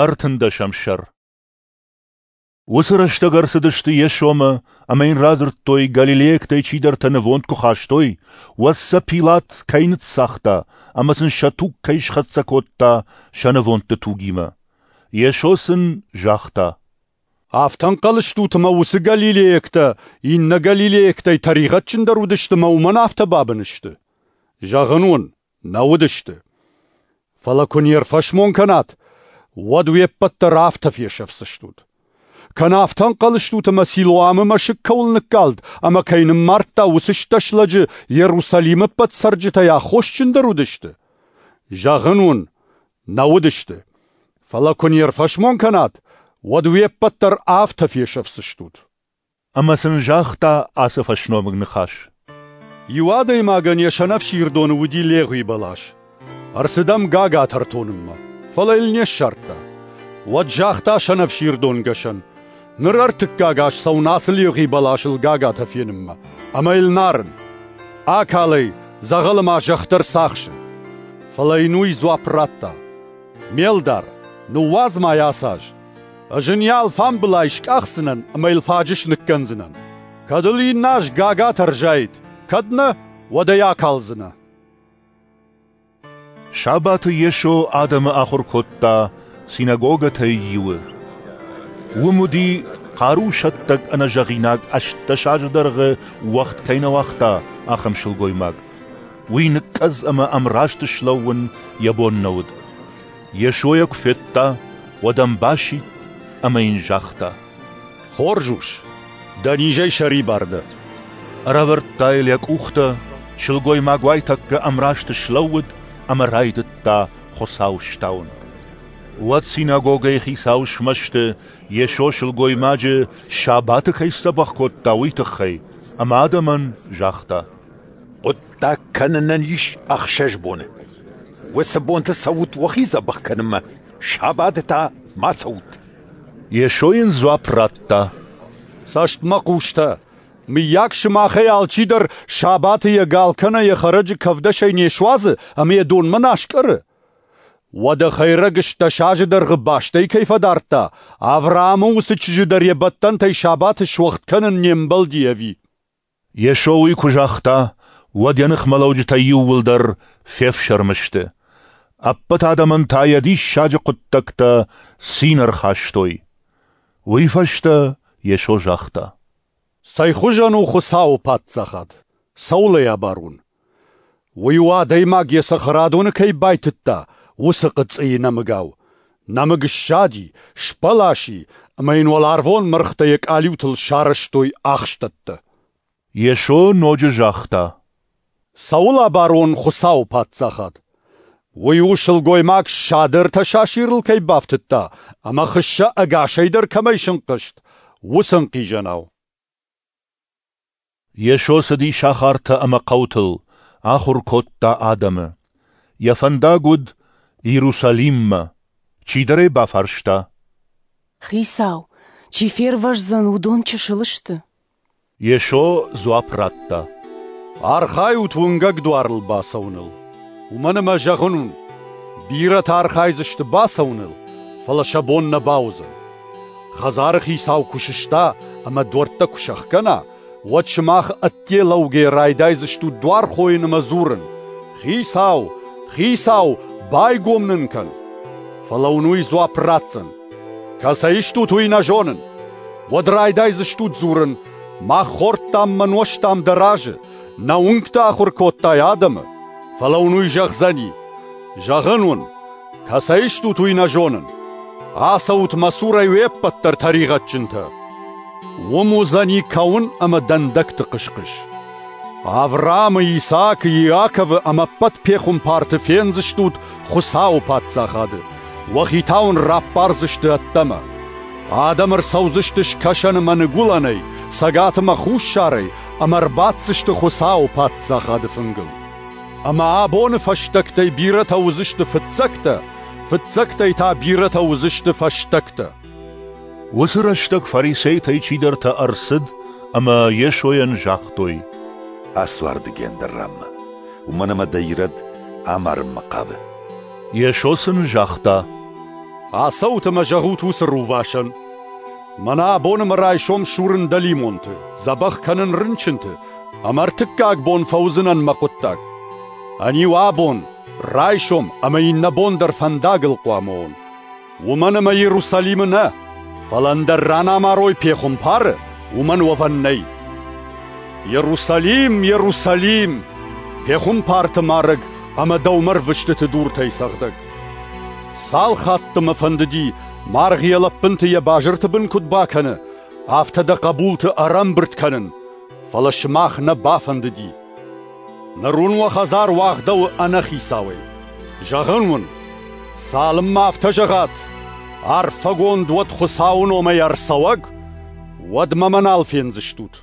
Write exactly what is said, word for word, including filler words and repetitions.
Ӕртындӕсӕм сӕр. Уыцы рӕстӕг ӕрцыдысты Йесомӕ ӕмӕ йын радзырдтой, галилейӕгтӕй чидӕртӕ нывонд куы хастой, уӕд сӕ Пилат кӕй ныццагъта ӕмӕ сын сӕ туг кӕй схӕццӕ кодта сӕ нывондты тугимӕ. Йесо сын загъта: Афтӕ ӕнхъӕл стут, ӕмӕ уыцы галилейӕгтӕ иннӕ галилейӕгтӕй тӕригъӕдджындӕр уыдысты ӕмӕ уымӕн афтӕ бабын сты? Зӕгъын уын, нӕ уыдысты. Фӕлӕ куы не рфӕсмон кӕнат, уӕд уе ппӕт дӕр афтӕ фесӕфдзыстут. Кӕнӕ афтӕ ӕнхъӕл стут, ӕмӕ Силоамы мӕсыг кӕуыл ныккалд ӕмӕ кӕй ныммардта, уыцы стӕс лӕджы Иерусалимы ӕппӕт цӕрджытӕй аххосджындӕр уыдысты? Зӕгъын уын, нӕ уыдысты. Фӕлӕ куы не рфӕсмон кӕнат, уӕд уе ппӕт дӕр афтӕ фесӕфдзыстут. Ӕмӕ сын загъта ацы фӕсномыг ныхас: Иу адӕймагӕн йӕ сӕнӕфсирдоны уыди легъуи бӕлас. Ӕрцыд ӕм гагатӕ ӕртонынмӕ, фӕлӕ йыл не ссардта. Уӕд загъта сӕнӕфсирдонгӕсӕн: Ныр ӕртыккаг аз цӕуын ацы легъуи бӕласыл гагатӕ фенынмӕ, ӕмӕ йыл нарын. Акал ӕй, дзӕгъӕлы ма зӕхх дӕр цахсы. Фӕлӕ йын уый дзуапп радта: Ме лдар, ныууадз ма йӕ ацы аз. Ӕз ын йӕ алфамбылай скъахдзынӕн ӕмӕ йыл фаджыс ныккӕндзынӕн. Кӕд ыл иннӕ аз гагатӕ ӕрзаид, кӕд нӕ, уӕд ӕй акалдзынӕ. Сабаты Йесо адӕмы ахуыр кодта синагогӕтӕй иуы. Уым уыди, хъарусӕттӕг ӕнӕзӕгъинаг ӕстдӕс азы дӕргъы уӕгъд кӕй нӕ уагъта, ахӕм сылгоймаг. Уый ныкъкъӕдз ӕмӕ ӕмраст слӕууын йӕ бон нӕ уыд. Йесо йӕ куы федта, уӕд ӕм басидт ӕмӕ йын загъта: Хорз ус, дӕ низӕй сӕрибар дӕ. Ӕрӕвӕрдта йыл йӕ къухтӕ, сылгоймаг уайтӕккӕ ӕмраст слӕууыд ӕмӕ райдыдта Хуыцауы стауын. Уӕд синагогӕйы хицау смӕсты, Йесо сылгоймаджы сабаты кӕй сдзӕбӕх кодта, уый тыххӕй, ӕмӕ адӕмӕн загъта: Хъуыддаг кӕнынӕн ис ӕхсӕз боны. Уыцы бонты цӕут уӕхи дзӕбӕх кӕнынмӕ, сабаты та ма цӕут. Йесо йын дзуапп радта: Цӕстмӕхъустӕ, мыййаг сымахӕй алчидӕр сабаты йӕ гал кӕнӕ йӕ хӕрӕджы кӕвдӕсӕй не суадзы ӕмӕ йӕ донмӕ нӕ аскъӕры? Уӕдӕ хӕйрӕг ӕстдӕс азы дӕргъы бастӕй кӕй фӕдардта, Авраамы уыцы чызджы дӕр йӕ бӕттӕнтӕй сабаты суӕгъд кӕнын не мбӕлди ӕви? Йесо уый куы загъта, уӕд йӕ ныхмӕлӕуджытӕ иууылдӕр фефсӕрмы сты. Ӕппӕт адӕмӕн та йӕ диссаджы хъуыддӕгтӕ цин ӕрхастой. Уый фӕстӕ Йесо загъта: Цӕй хуызӕн у Хуыцауы паддзахад? Цӕуыл ӕй абарон? Уый у, адӕймаг йӕ цӕхӕрадоны кӕй байтыдта, уыцы хъыцъыйы нӕмыгау. Нӕмыг ссади, сбӕлас и, ӕмӕ йын уӕларвон мӕргътӕ йӕ къалиутыл сарӕзтой ахстӕттӕ. Йесо ноджы загъта: Цӕуыл абарон Хуыцауы паддзахад? Уый у, сылгоймаг ссады ӕртӕ сасирыл кӕй бафтыдта ӕмӕ хыссӕ ӕгасӕй дӕр кӕмӕй сынхъызт, уыцы ӕнхъизӕнау. Йесо цыди сахартӕ ӕмӕ хъӕутыл, ахуыр кодта адӕмы. Йӕ фӕндаг уыд Иерусалиммӕ. Чидӕр ӕй бафарста: Хицау, чи фервӕздзӕн, уыдон чысыл сты? Йесо дзуапп радта: Архайут уынгӕг дуарыл бацӕуыныл, уымӕн ӕмӕ зӕгъын уын, бирӕтӕ архайдзысты бацӕуыныл, фӕлӕ сӕ бон нӕ бауыдзӕн. Хӕдзары хицау куы сыста ӕмӕ дуӕрттӕ куы сӕхгӕна, уӕд сымах ӕдде лӕугӕйӕ райдайдзыстут дуар хойын ӕмӕ дзурын: Хицау, Хицау, байгом нын кӕн! Фӕлӕ уын уый дзуапп ратдзӕн: Кӕцӕй стут, уый нӕ зонын. Уӕд райдайдзыстут дзурын: Мах хордтам мӕ нуӕзтам дӕ разы, нӕ уынгты ахуыр кодтай адӕмы. Фӕлӕ уын уый зӕгъдзӕни: Зӕгъын уын, кӕцӕй стут, уый нӕ зонын. Ацӕут мӕ цурӕй уе ппӕт дӕр тӕригъӕдджынтӕ. Уым уыдзӕни кӕуын ӕмӕ дӕндӕгты хъыс-хъыс. Авраамы, Исаакы, Иаковы ӕмӕ ӕппӕт пехуымпарты фендзыстут Хуыцауы паддзахады. Уӕхи та уын раппардзысты ӕддӕмӕ. Адӕм ӕрцӕудзысты скӕсӕны мӕ ныгуылӕнӕй, цӕгаты мӕ хуссарӕй ӕмӕ ӕрбаддзысты Хуыцауы паддзахады фынгыл. Ӕмӕ абоны фӕстӕгтӕй бирӕтӕ уыдзысты фыццӕгтӕ, фыццӕгтӕй та бирӕтӕ уыдзысты фӕстӕгтӕ. Уыцы рӕстӕг фарисейтӕй чидӕртӕ ӕрцыд ӕмӕ Йесойӕн загътой: Ацу ардыгӕй ӕндӕр ранмӕ, уымӕн ӕмӕ дӕ Ирод амарынмӕ хъавы. Йесо сын загъта: Ацӕут ӕмӕ зӕгъут уыцы рувасӕн: Мӕнӕ абон ӕмӕ райсом сурын дӕлимонты, дзӕбӕх кӕнын рынчынты, ӕмӕ ӕртыккаг бон фӕуыдзынӕн мӕ хъуыддаг. Ӕниу абон, райсом ӕмӕ иннӕ бон дӕр фӕндагыл хъуамӕ уон. Уымӕн ӕмӕ Иерусалимы нӕ, фӕлӕ ӕндӕр ран амарой пехуымпары, уымӕн уӕвӕн нӕй. Иерусалим, Иерусалим, пехуымпарты марӕг ӕмӕ дӕумӕ ӕрвыстыты дуртӕй цӕгъдӕг! Цал хатты мӕ фӕндыди, маргъ йӕ лӕппынты йӕ базырты бын куыд бакӕны, афтӕ дӕ хъӕбулты ӕрӕмбырд кӕнын, фӕлӕ сымах нӕ бафӕндыди. Ныр уын уӕ хӕдзар уагъдӕуы ӕнӕхицауӕй. Зӕгъын уын, цалынмӕ афтӕ зӕгъат, арфӕгонд уӕд Хуыцауы номӕй ӕрцӕуӕг, уӕдмӕ мӕ нал фендзыстут.